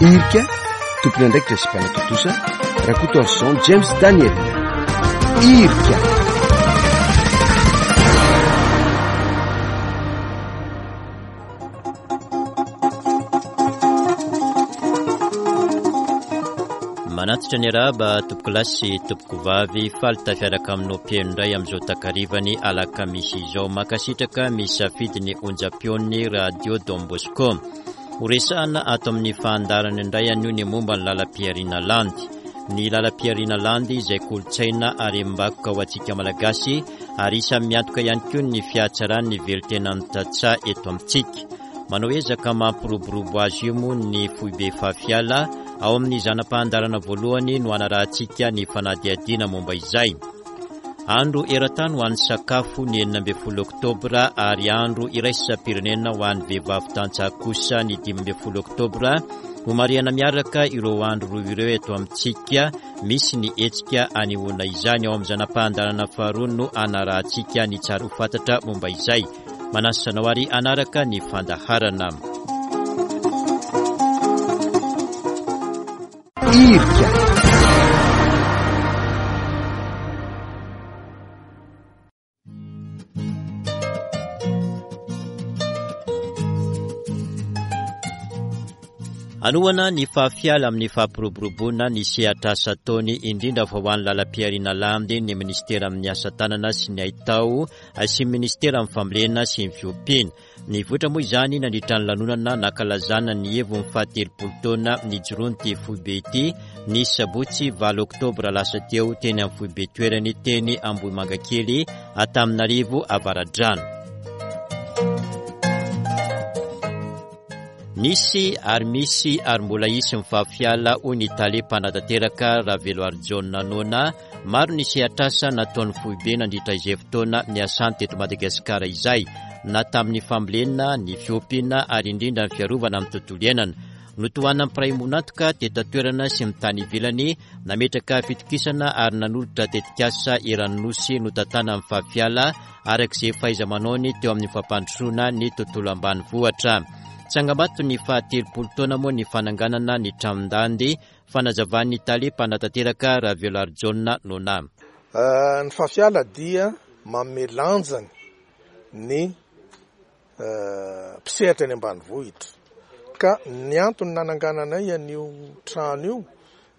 Irika, tompon'andraikitra sy mpanatontosa, Rakotoarison James Daniel. Irika. Manatitra ny arahaba tompokolahy sy tompokovavy, faly tafiaraka aminao mpihaino indray amin'izao takarivany alakamisy izao. Mankasitraka misafidy ny onjam-peon'ny Radio Don Bosco. Ho resahana ato amin'ny fahandarana indray anio ny momba ny lalam-pihariana landy. Ny lalam-pihariana landy izay kolontsaina harem-bakoka ho antsika Malagasy ary isan'ny miantoka ihany koa ny fihatsaran'ny velontenan'ny tantsaha eto amintsika. Manao ezaka mampiroborobo azy io moa ny foibe Fafiala ao amin'ny zana-pahandarana voalohany no hanarahantsika ny fanadihadiana momba izay. Andro eran-tany ho an'ny sakafo ny 16 oktobra ary andro iraisam-pirenena ho an'ny vehivavy tantsaha kosa ny 15 oktobra. Homarihana miaraka ireo andro roa ireo eto amintsika. Misy ny hetsika anehoana izany. Ao amin'ny zana-pahandanana faharoa no anarahantsika ny tsara ho fantatra momba izay. Manasa anao ary hanaraka ny fandaharana. Irika. Hanohana ny fahafiala amin'ny fampiroboroboana ny sehatr'asa ataony indrindra fa ho an'ny lalam-pihariana landy ny minisitera amin'ny asa tanana sy ny haitao sy ny minisitera amin'ny fambolena sy ny fiompiana. Nivoitra moa izany nandritra ny lanonana nankalazana ny heviny fahatelopolo taona nijoroan'ity foibe ity ny sabotsy valo oktobra lasa teo teny amin'ny foibe toerany teny Ambohimangakely Antananarivo Avaradrano. Nisy ary misy ary mbola hisy ny fahafiala hoy ny tale mpanatanteraka Raveloarijaona Nona Maro ny sehatr'asa nataon'ny foibe nandritra izay fotoana niasany teto Madagasikara izay, na tamin'ny fambolena, ny fiompiana ary indrindra ny fiarovana ny tontolo iainana. Notohanan'ny mpiray ombon'antoka teto an-toerana sy ny tany ivelany, nametraka fitokisana ary nanolotra tetikasa eran'ny Nosy notantanan'ny Fafiala araka izay fahaiza-manaony teo amin'ny fampandrosoana ny tontolo ambanivohitra. Tsangambato ny fahatelopolo taona moa ny fananganana ny tranon-dandy Fanazavan'ny tale mpanatanteraka Ravelarijaona Nona. Ny Fafiala dia manome lanjany ny mpisehatra eny ambanivohitra. Ka ny antony nanangananay an'io trano io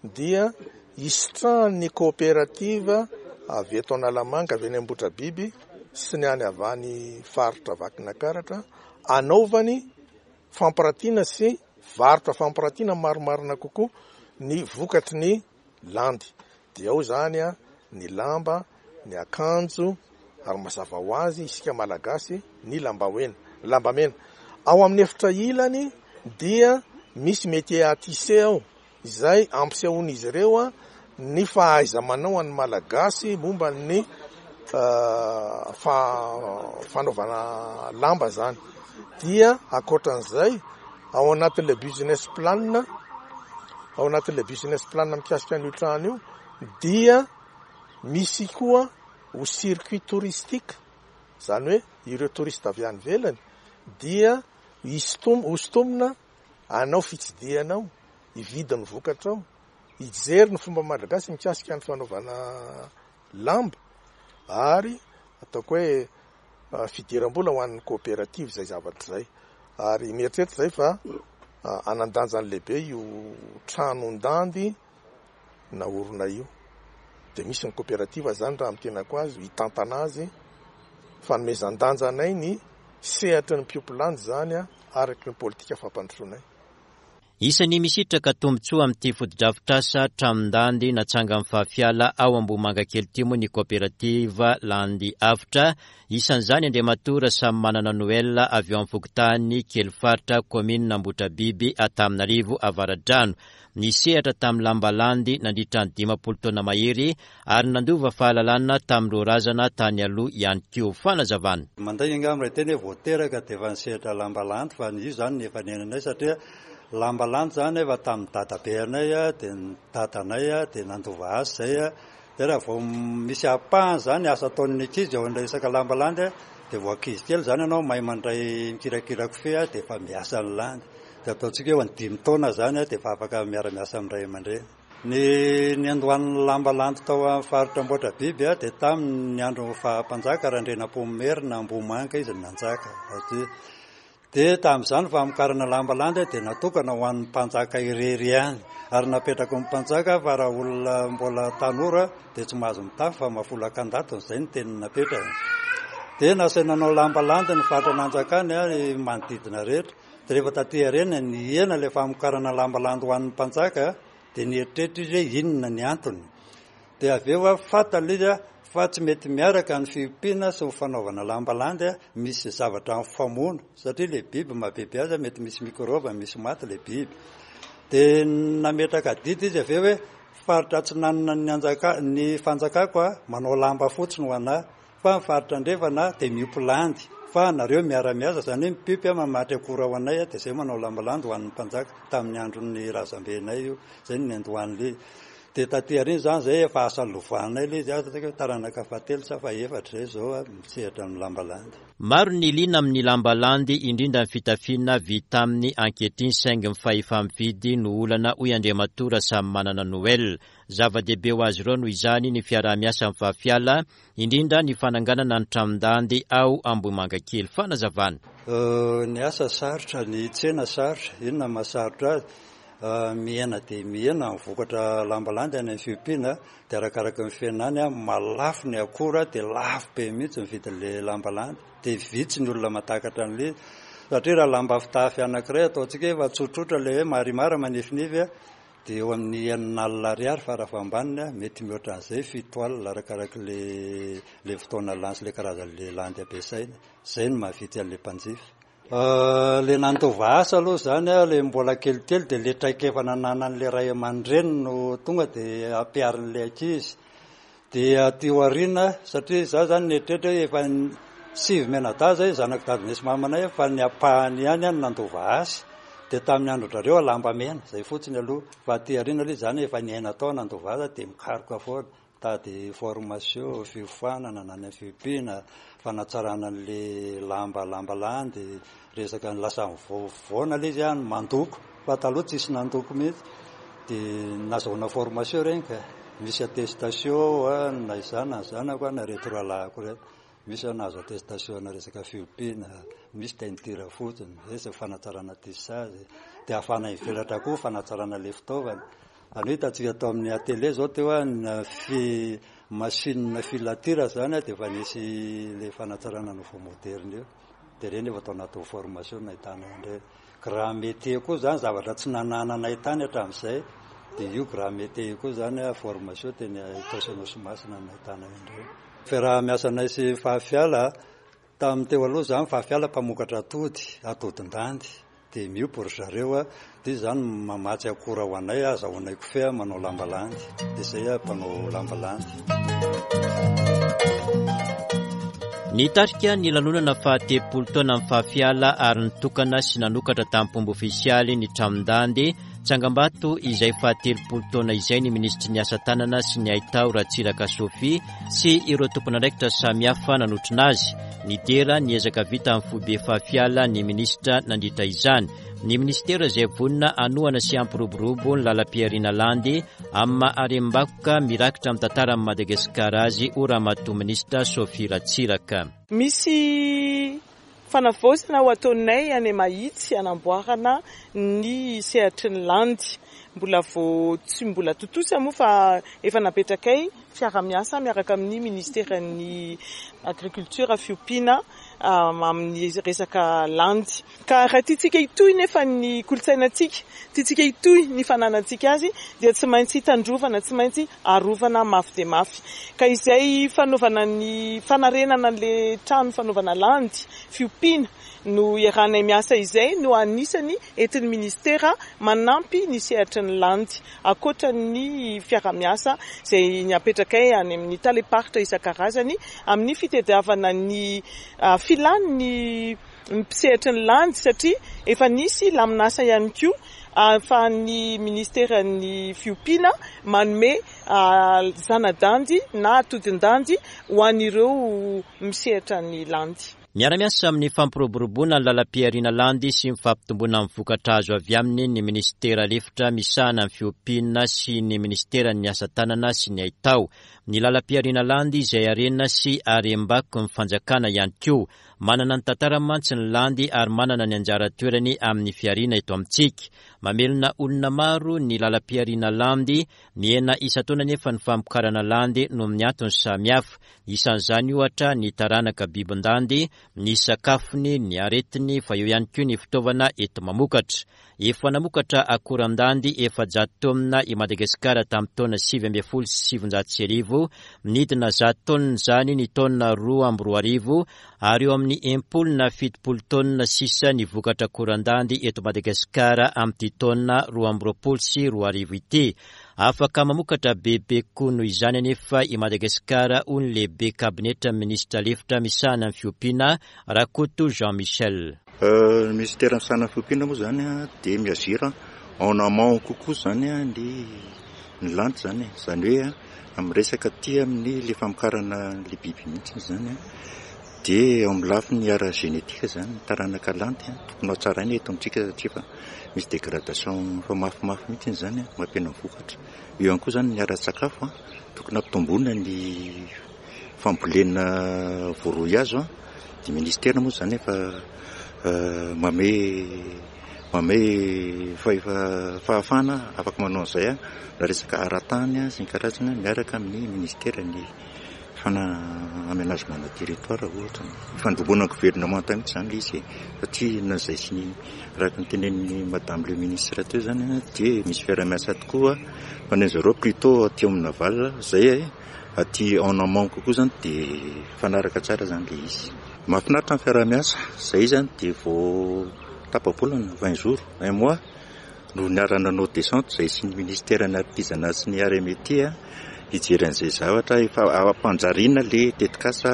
dia hisitrahan'ny kaoperativa avy eto Analamanga, avy any Ambohitrabiby sy ny any avy any faritra Vakinankaratra hanaovany fampiratiana sy varotra fampiratiana marimarina kokoa ny vokatry ny landy. Dia ao izany ny lamba, ny akanjo ary mazava ho azy isika Malagasy ny lambahoena, lambamena. Ao amin'ny efitra ilany dia misy métier à tisser ao izay ampisehoan'izy ireo ny fahaiza-manao an'ny Malagasy momba ny fanaovana lamba izany. Dia ankoatran'izay, ao anatin'ilay business plan, ao anatin'ilay business plan mikasika an'io trano io dia misy koa ho circuit touristique, izany hoe ireo touriste avy any ivelany dia hosintomina hanao fitsidihana ao, hividy ny vokatra ao, hijery ny fomba malagasy mikasika ny fanaovana lamba ary ataoko hoe fidiram-bola ho an'ny coopérative izay zavatra izay. Ary mieritreritra izay fa hanan-danjany lehibe io tranon-dandy naorina io. Dia misy ny coopérative izany raha amin'ny tenako azy hitantana azy, fanomezan-danja anay ny sehatry ny mpiompy landy izany araka ny politika fampandrosoanay. Isan'ny misitraka tombontsoa amin'ity fotodrafitrasa tranon-dandy natsangan'ny Fafiala ao Ambohimangakely ity moa ny kaoperativa Landy Avotra. Isan'izany Andriamatoa Rasamimanana Noël avy ao amin'ny fokontany Kelifaritra, kaominina Ambohitrabiby, Antananarivo Avaradrano. Nisehatra tamin'ny lamba landy nandritra ny 50 taona mahery ary nandova fahalalana tamin'ireo razana tany aloha ihany koa. Fanazavana. Mandainga angamba raha hiteny hoe vao teraka dia efa nisehatra lamba landy fa io izany ny efa niainanay satria lamba landy izany efa tamin'ny dadabeanay dia ny dadanay dia nandova azy izay dia raha vao misy ampahany izany asa ataon'ny ankizy eo amin'ilay resaka lamba landy dia vao ankizy kely izany ianao mahay mandray mikirakira kofehy dia efa miasa ny landy. Dia ataontsika hoe eo amin'ny dimy taona izany dia efa afaka miara-miasa amin'ny ray aman-dreny. Ny niandohan'ny lamba landy tao amin'ny faritra Ambohitrabiby dia tamin'ny andron'ny faha mpanjaka Randrianampoinimerina Ambohimanga izy no nanjaka aty. Dia tamin'izany famokarana lamba landy dia natokana ho an'ny mpanjaka irery ihany. Ary napetraky ny mpanjaka fa raha olona mbola tanora dia tsy mahazo mitafy fa mahafolaka an-datony, izay no teny napetrany. Dia nasaina nanao lamba landy ny faritra nanjakany ny manodidina rehetra. Dia rehefa taty aoriana nihena ilay famokarana lamba landy ho an'ny mpanjaka dia nieritreritra izy hoe inona ny antony. Dia avy eo fantany ilay izy fa tsy mety miaraka ny fiompiana sy ny fanaovana lamba landy, misy zavatra mifamono satria ilay biby mahabiby azy mety misy mikrôba, misy maty ilay biby. Dia nametraka adidy izy avy eo hoe faritra atsinanana ny anjaka, ny fanjakako manao lamba fotsiny ho anà fa ny faritra andrefana dia miompy landy fa nareo miara-miasa, izany hoe mipiompy mamatry akora ho anay dia izay manao lamba landy ho an'ny mpanjaka tamin'ny andron'ny razambenay io, izay no niandohan'ilay izy. Dia taty aoriana izany izay efa asa lovanay ilay izy, asa hoe taranaka fahatelo sa fahefatra izay izao misehatra amin'ny lamba landy. Maro ny liana amin'ny lamba landy, indrindra ny fitafiana vita aminy ankehitriny saingy ny fahefa-mividy no olana hoy Andriamatoa Rasamimanana Noël. Zava-dehibe ho azy ireo noho izany ny fiaraha-miasa amin'ny Fafiala, indrindra ny fananganana ny tranon-dandy ao Ambohimangakely. Fanazavana. Ny asa sarotra, ny tsena sarotra, inona no mahasarotra azy? Mihena dia mihena ny vokatra lamba landy any amin'ny fiompiana, dia arakaraky ny fihenany, mahalafo ny akora dia lafo be mihitsy ny vidin'ilay lamba landy, dia vitsy ny olona mahatakatra an'ilay izy, satria raha lamba fitafy anankiray ataontsika hoe efa tsotsotra ilay hoe marimara manifinify dia eo amin'ny enina alina ariary fara fahambaniny, mety mihoatra an'izay fito alina arakarak'ilay ilay fotoana lany sy ilay karazan'ilay landy ampiasaina, izay no mahavitsy an'ilay mpanjifa. Le nandova asa aloha zany aho le mbola kelikely de le traikefa nananan'le ray aman-dreny no tonga de ampiharin'le ankizy. De aty aoriana satria za zany nieritreritra hoe efa sivy mianadahy zay zanak'i dadinay sy mamanay fa ny ampahany ihany no nandova asa. De tamin'ny andron-drareo lamba mena zay fotsiny aloha fa aty aoriana aloha zany efa niaina tao nandova asa de mikaroka foana. Mitady formation, fiofanana na ny fiompiana, fanatsarana an'le lamba lamba landy, resaka ny lasa mivoavoana le izy an, mandoko fa taloha tsisy nandoko mihitsy, de nazahoana formation regny ka, misy attestation an, na izaho na ny zanako na reto rahalahiko reto, misy aho nahazo attestation ana resaka fiompiana, misy teinture fotsiny, resaka fanatsarana tissage, de ahafahana mivelatra koa fanatsarana le fitaovana. Izany hoe hitantsika tao amin'ny atelier izao teo an, fi, machine filature izany dia efa nisy ilay fanatsarana nouveau moderne io. Dia ireny efa tao anatin'ny formation nahitana an'ireny. Grand métier koa izany zavatra tsy nanananay tany hatramin'izay dia io grand métier io koa izany formation teny Itaosy Anosimasina no nahitana an'ireny. Fiaraha-miasanay sy Fahafiala, tamin'ny teo aloha izany Fahafiala mpamokatra atody, atodin-dandy. Dia miompy ry zareo a, dia izy zany mamatsy akora ho anay, azahoanay kofehy manao lamba landy, dia izay aho mpanao lamba landy. Nitarika ny lanonana fahatelopolo taona amin'ny Fahafiala ary nitokana sy nanokatra tamim-pomba ofisialy ny tranon-dandy Tsangambato izay fahatelopolo taona izay ny minisitry ny asa tanana sy ny haitao Ratsiraka Sophie sy ireo tompon'andraikitra samihafa nanotrona azy. Nidera ny ezaka vita amin'ny foibe Fahafiala ny minisitra nandritra izany. Ny minisitera izay vonona hanohana sy hampiroborobo ny lalam-pihariana landy amin'ny maha harem-bakoka mirakitra amin'ny tantaran'i Madagasikara azy, hoy Ramatoa Minisitra Sophie Ratsiraka. Misy Fanavaozana ho ataonay any Mahitsy hanamboarana ny sehatry ny landy. Mbola vao tsy mbola tontosa moa fa efa napetrakay fiara-miasa miaraka amin'ny ministeran'ny agriculture, fiompiana amin'ny resaka landy. Ka raha tiantsika hitohy nefa ny kolontsainantsika, tiantsika hitohy ny fananantsika azy dia tsy maintsy tandrovana, tsy maintsy arovana mafy dia mafy. Ka izay fanaovana ny fanarenana an'ilay trano fanaovana landy, fiompiana, no iarahanay miasa izay no anisany entin'ny Ministera manampy ny sehatry ny landy, ankoatra ny fiarahamiasa izay apetrakay any amin'ny talem-paritra isan-karazany amin'ny fitadiavana ny filan'ny mpisehatry ny landy satria efa nisy lamin'asa ihany koa ahafahan'ny ministeran'ny fiompiana manome zana-dandy na atodin-dandy ho an'ireo misehatra ny landy. Miara-miasa amin'ny fampiroboroboana ny lalam-pihariana landy sy ny fampitomboana ny vokatra azo avy aminy ny minisitera lefitra misahana ny fiompiana sy ny minisiteran'ny asa tanana sy ny haitao. Ny lalam-pihariana landy izay harena sy harem-bakoky ny fanjakana ihany koa. Manana ny tantarany mantsy ny landy ary manana ny anjara toerany amin'ny fihariana eto amintsika. Mamelona olona maro ny lalam-pihariana landy, mihena isan-taona anefa ny famokarana landy noho ny antony samihafa. Isan'izany ohatra ny taranaka bibin-dandy, ny sakafony, ny aretiny, fa eo ihany koa ny fitaovana enti-mamokatra. Efa namokatra akoran-dandy 400 taonina i Madagasikara tamin'ny taona 1919, nidina 100 taonina izany ny taona 2002 ary eo amin'ny 60 na 70 taonina sisa ny vokatra akoran-dandy eto Madagasikara amin'ity taona 2022 ity. Afaka mamokatra bebe kokoa noho izany anefa i Madagasikara, hoy ny lehibe kabinetran'ny minisitra lefitra misahana ny fiompiana, Rakoto Jean Michel. Ny minisitera misahana ny fiompiana moa izany dia mi-agir en amont kokoa izany ny ny landy izany e. Izany hoe amin'ny resaka aty amin'ny ilay famokarana ilay biby mihitsy izany dia eo amin'ny lafiny ara-génétique izany ny taranaka landy tokony ho hatsaraina eto amintsika satria efa Misy dégradation efa mafimafy mihitsy izany mampihena ny vokatra. Eo ihany koa izany ny ara-tsakafo, tokony hampitomboina ny fambolena voaroy hazo. Dia ministera moa izany efa manome manome fahafahana afaka manao an'izay na resaka ara-tany sy ny karazany miaraka amin'ny ministeran'ny fana aménagement de territoire ohatra. Ifandrombonan'ny governemanta mihitsy izany ilay izy e, satria na izay sy ny araka ny tenenin'ny madame le ministre teo izany dia misy fiaraha-miasa tokoa fa ny an'i zareo plutôt aty amin'ny aval, izay aty en amont kokoa izany dia mifanaraka tsara izany ilay izy. Mahafinaritra ny fiaraha-miasa, izay izany dia vao tapa-bolana, vingt jours, un mois no niara-nanao descente izay sy ny ministeran'ny artisanat sy ny arts et métiers hijery an'izay zavatra efa ampanjariana ilay tetikasa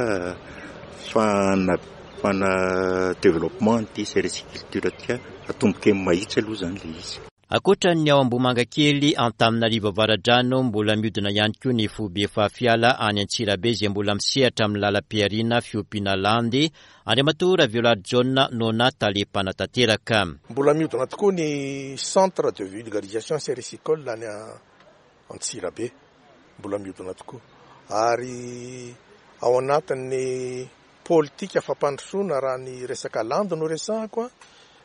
fana fana développement an'ity sericiculture ity atomboka eny Mahitsy aloha izany ilay izy. Ankoatra ny ao Ambohimangakely, Antananarivo Avaradrano, mbola mihodina ihany koa ny foibe Fahafiala any Antsirabe izay mbola misehatra amin'ny lalam-pihariana fiompiana landy Andriamatoa Ravelarijaona Nona Tale Mpanatanteraka. Mbola mihodina tokoa ny Centre de Vulgarisation Sericicole any Antsirabe. Mbola mihodina tokoa. Ary ao anatin'ny politika fampandrosoana raha ny resaka landy no resahako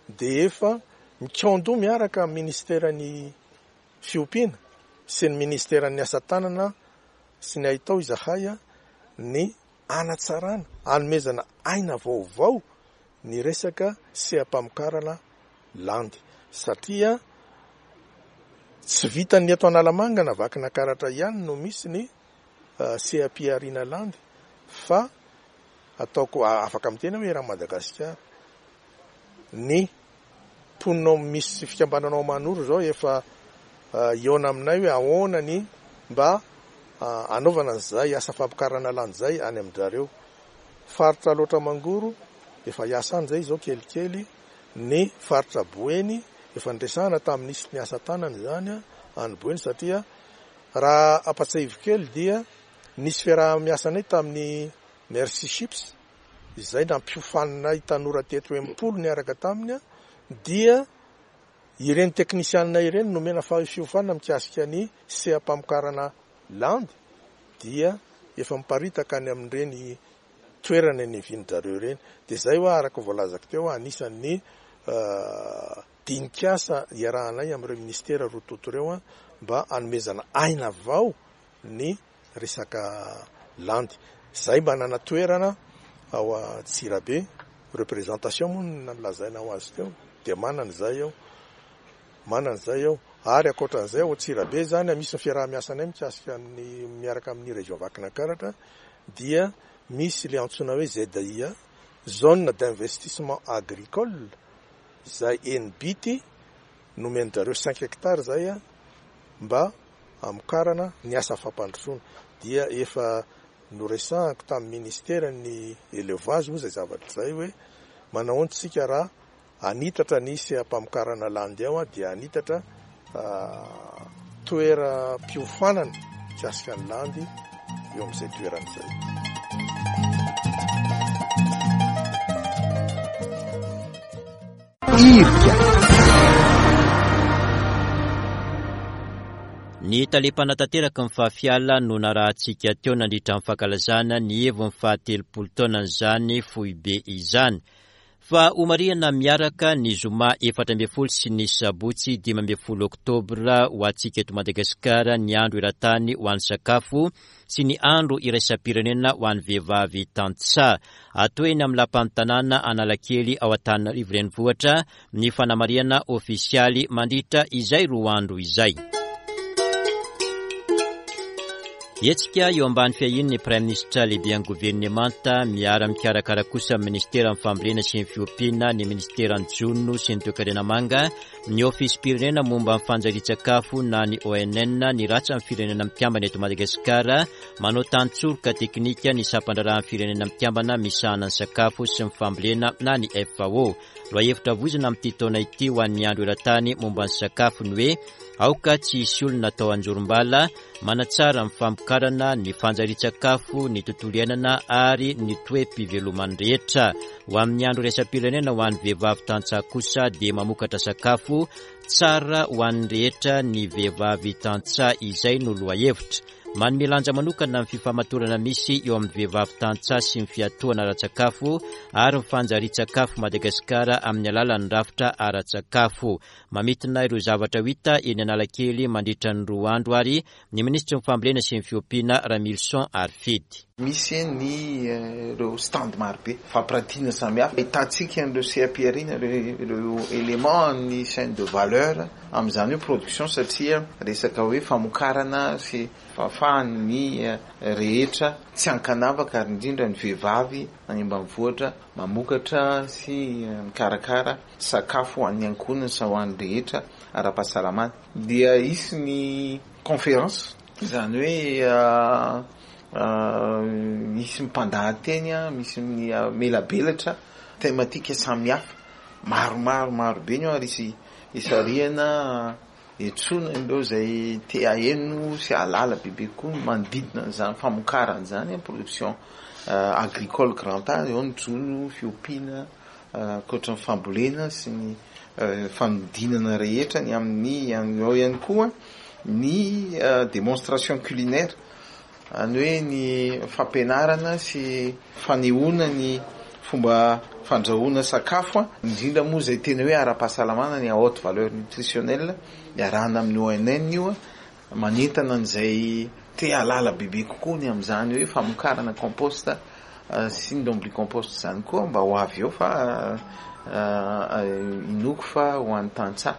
dia efa mikaon-doha miaraka amin'ny ministeran'ny fiompiana sy ny ministeran'ny asa tanana sy ny haitao izahay ny hanatsarana, hanomezana aina vaovao ny resaka seha-pamokarana landy satria tsy vitan'ny eto Analamanga na Vakinakaratra ihany no misy ny seha-pihariana landy fa ataoko afaka miteny aho hoe eran'i Madagasikara. Ny mponina ao misy fikambanana ao Manoro izao efa hihaona aminay hoe ahoana ny mba hanaovana an'izay asa fampikarana landy izay any amin-dRareo. Faritra Alaotra Mangoro efa hiasa any izay izao kelikely, ny faritra Boeny efa niresahana tamin'ny minisitry ny asa tanana izany any Boeny satria raha ampatsiahiviko kely dia nisy fiaraha-miasanay tamin'ny Merci Chips izay nampiofaninay tanora teto 60 niaraka taminy dia ireny teknisianina ireny nomena fiofanana mikasika ny seha-pamokarana landy dia efa miparitaka any amin'ireny toerana niavian-dRareo ireny. Dia izay hoa araka ny voalazako teo anisan'ny dinik'asa iarahanay amin'ireo minisitera roa tonta ireo mba hanomezana aina vao ny resaka landy. Zay manana toerana ao Antsirabe, représentation moa no nolazaina ho azy teo, dia manana izay ao, manana izay ao. Ary ankoatran'izay ao Antsirabe izany misy ny fiaraha-miasanay mikasika ny miaraka amin'ny région Vakinankaratra dia misy ilay antsoina hoe ZIA, zone d'investissement agricole, izay eny Bity nomen-dRareo cinq hectares izay mba hamokarana ny asa fampandrosoana dia efa noresahako tamin'ny ministeran'ny élevage moa izay zavatra izay hoe manahoana isika raha hanitatra ny seha-pamokarana landy ao dia hanitatra toeram-piofanana mikasika ny landy eo amin'izay toerana izay. Irika. Ny tale mpanatanteraka ny Fafiala no narahantsika teo nandritra ny fankalazana ny heviny fahatelopolo taonan'izany foibe izany. Fa homarihana miaraka ny zoma 14 sy ny sabotsy 15 oktobra ho antsika eto Madagasikara ny andro eran-tany ho an'ny sakafo sy ny andro iraisam-pirenena ho an'ny vehivavy tantsaha. Atao eny amin'ny lapan'ny tanàna Analakely ao Antananarivo Renivohitra ny fanamarihana ofisialy mandritra izay roa andro izay. Hetsika eo ambany fiahian'ny Praiminisitra lehiben'ny governemanta, miara-mikarakara kosa amin'ny Minisiteran'ny Fambolena sy ny Fiompiana, ny Minisiteran'ny Jono sy ny Toekarena Manga, ny Ofisim-pirenena momba ny fanjarian-tsakafo na ny ONN, ny Ratsan'ny Firenena Mikambana eto Madagasikara, manao tantsoroka teknika ny Sampandraharahan'ny Firenena Mikambana misahana ny sakafo sy ny fambolena na ny FAO. Lohahevitra voizina amin'ity taona ity ho an'ny andro eran-tany momba ny sakafo ny hoe Aoka tsy hisy olona atao anjorom-bala, manatsara ny famokarana, ny fanjarian-tsakafo, ny tontolo iainana ary ny toe-piveloman'ny rehetra. Ho amin'ny andro iraisam-pirenena ho an'ny vehivavy tantsaha kosa dia mamokatra sakafo tsara ho an'ny rehetra ny vehivavy tantsaha izay no lohahevitra. Manome lanja manokana ny fifamatorana misy eo amin'ny vehivavy tantsaha sy ny fiatohana ara-tsakafo ary ny fanjarian-tsakafo Madagasikara amin'ny alalan'ny rafitra ara-tsakafo. Mamintina ireo zavatra ho hita eny Analakely mandritra ny roa andro ary ny minisitry ny Fambolena sy ny Fiompiana Ramilison Harifidy. Misy ny ireo stand marobe, fampirantiana samihafa, ahitantsika an'ireo seha-pihariana, ireo éléments an'ny chaîne de valeur amin'izany hoe production satria resaka hoe famokarana sy fahafahan'ny rehetra tsy ankanavaka ary indrindra ny vehivavy any ambanivohitra mamokatra sy mikarakara sakafo ho an'ny ankohonany sy ho an'ny rehetra ara-pahasalamana. Dia hisy ny conférence, izany hoe misy mpandahateny, misy ny melabelatra thématique samihafa maromaro marobe ny ao ary hisy hisarihana Etsoina ireo izay te haheno sy hahalala bebe kokoa ny manodidina an'izany famokarana izany, production agricole grand A, eo ny jono, fiompiana, ankoatra ny fambolena sy ny fanodinana rehetra ny amin'ny, ao ihany koa ny démonstration culinaire. Izany hoe ny fampianarana sy fanehoana ny fomba fandrahoana sakafo, indrindra moa izay tena hoe ara-pahasalamana ny à haute valeur nutritionnelle, iarahana amin'ny ONN io, manentana an'izay te hahalala bebe kokoa ny amin'izany hoe famokarana compost sy ny lombricompost izany koa mba ho avy eo fa inoako fa ho an'ny tantsaha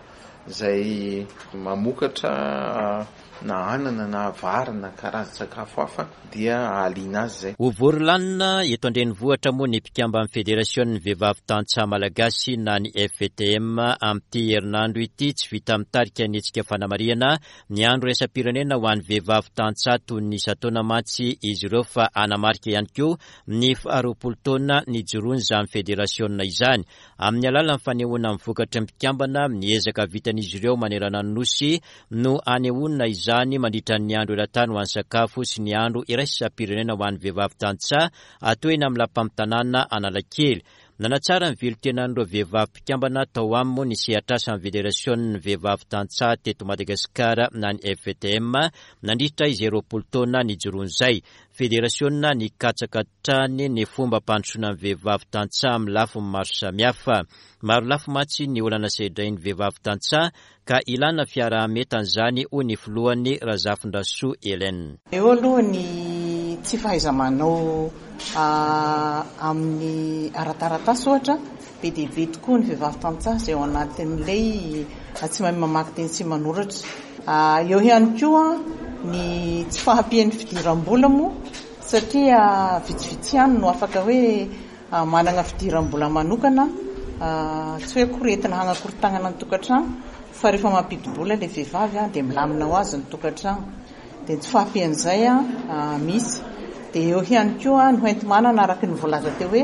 izay mamokatra na anana na vary na karazan-tsakafo hafa dia hahaliana azy izay. Ho vory lanona eto an-drenivohitra moa ny mpikamban'ny Federasionin'ny Vehivavy Tantsaha Malagasy na ny FVTM amin'ity herinandro ity. Tsy vita mitarika ny hetsika fanamarihana ny Andro iraisam-pirenena ho an'ny vehivavy tantsaha toy ny isan-taona mantsy izy ireo fa hanamarika ihany koa ny faharoapolo taona nijoroan'izany federasionina izany. Amin'ny alalan'ny fanehoana ny vokatry ny mpikambana ny ezaka vitan'izy ireo manerana ny Nosy no hanehoana izany mandritra ny Andro eran-tany ho an'ny sakafo sy ny Andro iraisam-pirenena ho an'ny vehivavy tantsaha atao eny amin'ny Lapan'ny tanàna Analakely. Nanatsara ny velon-tenan'ireo vehivavy mpikambana tao aminy moa ny sehatr'asan'ny Federasionin'ny vehivavy tantsaha teto Madagasikara na ny FVTM nandritra izay 20 taona nijoroany izay. Federasiona nikatsaka hatrany ny fomba hampandrosoana ny vehivavy tantsaha amin'ny lafiny maro samihafa. Maro lafy mantsy ny olana sedrain'ny vehivavy tantsaha ka ilana fiaraha-mientana izany hoy ny filohany Razafindrasoa Hélène. Eo aloha ny tsy fahaiza-manao amin'ny ara-taratasy ohatra, be dia be tokoa ny vehivavy tantsaha izay ao anatin'ilay tsy mahay mamaky teny sy manoratra. Eo ihany koa ny tsy fahampian'ny fidiram-bola moa satria vitsivitsy ihany no afaka hoe manana fidiram-bola manokana, tsy hoe akory entina hanakorontanana ny tokantrano fa rehefa mampidi-bola ilay vehivavy dia milamina ho azy ny tokantrano. Dia ny tsy fahampian'izay misy. Dia eo ihany koa ny hoenti-manana araka ny voalaza teo hoe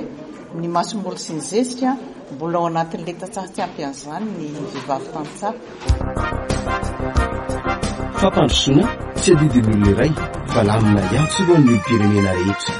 ny masomboly sy ny zezika, mbola ao anatin'ilay tantsaha tsy ampy an'izany ny vehivavy tantsaha. Fampandrosoana tsy adidin'ny olona iray fa lamina iantsorohan'ny olom-pirenena rehetra.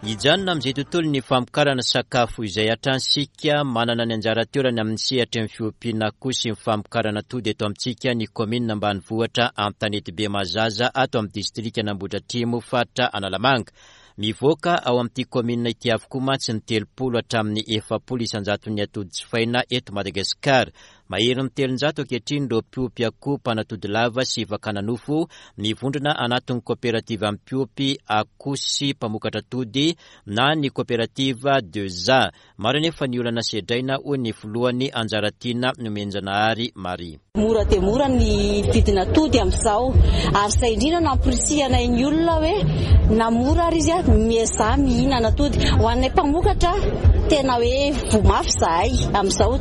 Hijanona amin'izay tontolon'ny famokarana sakafo izay hatrany isika. Manana ny anjara toerany amin'ny sehatry ny fiompiana akoho sy ny famokarana atody eto amintsika ny kaominina ambanivohitra Antanetibe Mahazaza ato amin'ny distrikan'Ambohidratrimo, faritra Analamanga. Mivoaka ao amin'ity kaominina ity avokoa mantsy ny 30 hatramin'ny 40 isan-jaton'ny atody jifaina eto Madagasikara. Maherin'ny 300 ankehitriny ireo mpiompy akoho mpanatody lava sy fakana nofo mivondrona anatin'ny koperativa mpiompy akoho sy mpamokatra atody na ny koperativa Deza. Maro anefa ny olana sedraina hoy ny filohany Anjaratiana Nomenjanahary Marie. Mora dia mora ny vidin'atody amin'izao ary izay indrindra no amporisihanay ny olona hoe na mora ary izy miezaha mihinana atody. Ho anay mpamokatra tena hoe voa mafy izahay amin'izao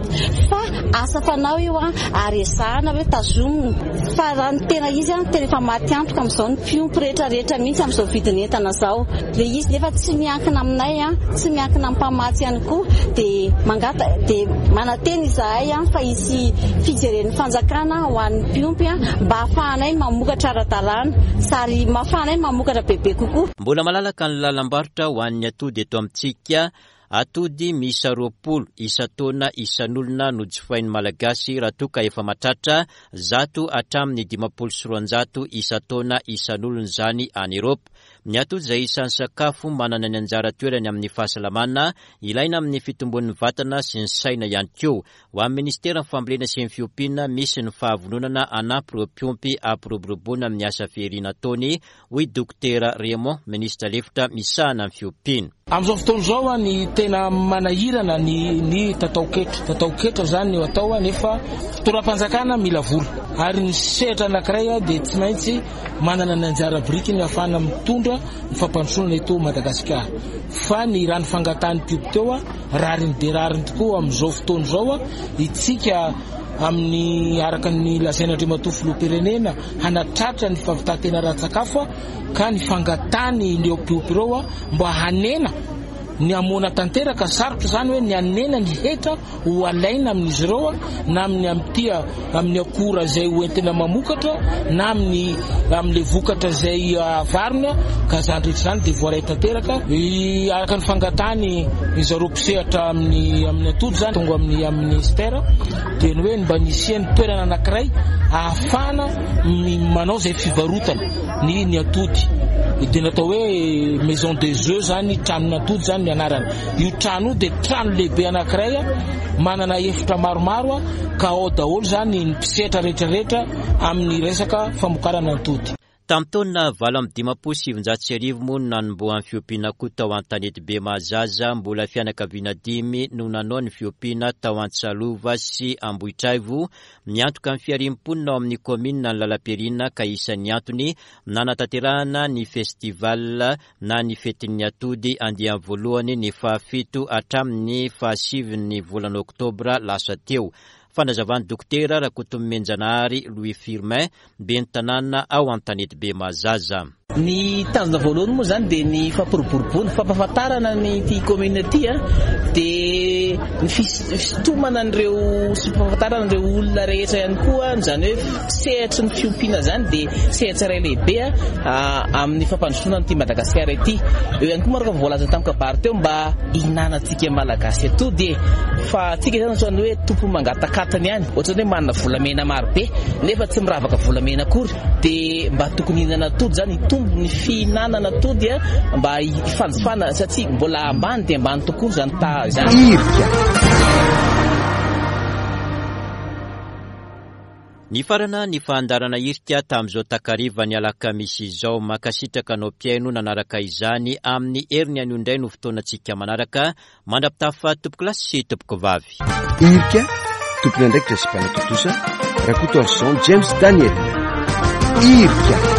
fa asa fanao io ary ezahana hoe tazomina fa raha ny tena izy tena efa maty antoka amin'izao ny mpiompy rehetra rehetra mihitsy amin'izao vidin'entana izao. Ilay izy nefa tsy miankina aminay, tsy miankina amin'ny mpamatsy ihany koa dia mangata dia manantena izahay fa hisy fijeren'ny fanjakana ho an'ny mpiompy mba hahafahanay mamokatra ara-dalàna sary mahafahanay mamokatra bebe kokoa. Mbola malalaka ny lalam-barotra ho an'ny atody eto amintsika. Atody miisa 20 isan-taona isan'olona no jifain'ny Malagasy raha toa ka efa mahatratra 100 hatramin'ny 250 isan-taona isan'olona izany any Eropa. Ny atody izay isan'ny sakafo manana ny anjara toerany amin'ny fahasalamana, ilaina amin'ny fitombon'ny vatana sy ny saina ihany koa. Ho an'ny Ministeran'ny Fambolena sy ny Fiompiana, misy ny fahavononana hanampy ireo mpiompy hampiroboroboana amin'ny asa fihariana ataony, hoy Dokotera Raymond, minisitra lefitra misahana ny fiompiana. Amin'izao fotoana izao ny tena manahirana ny ny tataoketra. Tataoketra izany no atao nefa fitondram-panjakana mila vola ary ny sehatra anankiray dia tsy maintsy manana ny anjara birikiny ahafahana mitondra ny fampandrosoana eto Madagasikara. Fa ny raha ny fangatahan'ny mpiompy teo, rariny dia rariny tokoa amin'izao fotoana izao itsika amin'ny araka ny lazain'Andriamatoa Filoham-pirenena hanatratra ny fahavitan-tena ara-tsakafo ka ny fangatahany ireo mpiompy ireo mba hanena ny hamoana tanteraka, sarotra izany hoe ny hanena ny hetra ho alaina amin'izy ireo na amin'ny amin'ity amin'ny akora izay ho entina mamokatra na amin'ny amin'ilay vokatra izay avarina ka izany rehetra izany dia voaray tanteraka araka ny fangatahany zareo mpisehatra amin'ny amin'ny atody izany tonga amin'ny amin'ny ministère dia ny hoe mba nisian'ny toerana anankiray ahafahana manao izay fivarotana ny ny atody dia natao hoe maison des œufs zany tranon'atody zany ny anarany io trano io dia trano lehibe anankiray manana efitra maromaro ka ao daholo zany ny mpisehatra rehetrarehetra amin'ny resaka famokarana atody. Tamin'ny taona 1958 moa no nanombohan'ny fiompiana akoho tao Antanetibe Mahazaza, mbola fianakaviana dimy no nanao ny fiompiana tao Antsalova sy Ambohitraivo, miantoka ny fiharian'ny mponina ao amin'ny kaominina ny lalam-piariana ka isan'ny antony nanatanterahana ny festival na ny fetin'ny atody andiany voalohany ny fahafito hatramin'ny fahasivin'ny volana oktobra lasa teo. Fanazavan'ny Dokotera Rakotonomenjanahary Louis Firmin, ben'ny tanàna ao Antanetibe Mahazaza. Ny tanjona voalohany moa izany dia ny fampiroboroboana, fampahafantarana ny ity commune ity dia ny fisintomana an'ireo sy fampahafantarana ireo olona rehetra ihany koa, izany hoe sehatry ny fiompiana izany dia sehatra iray lehibe amin'ny fampandrosoana an'ity Madagasikara ity. Eo ihany koa moa araka ny voalaza tamin'ny kabary teo mba hihinanantsika Malagasy atody e! Fa antsika izany ohatran'ny hoe tompon'ny mangatakatiny ihany, ohatran'ny hoe manana volamena maro be nefa tsy miravaka volamena akory. Dia mba tokony hihinana atody izany, hitombo ny fihinanana atody mba hifanjifana satria mbola ambany dia ambany tokoa izany taha izany. Hirika. Nifarana ny fandaharana hirika tamin'izao takarivan'ny alakamisy izao. Mankasitraka anao mpihaino nanaraka izany. Amin'ny heriny anio indray no fotoanantsika manaraka. Mandra-pitafa tompokolahy sy tompokovavy. Hirika, tompon'andraikitra sy mpanatontosa, Rakotoarison James Daniel. Hirika.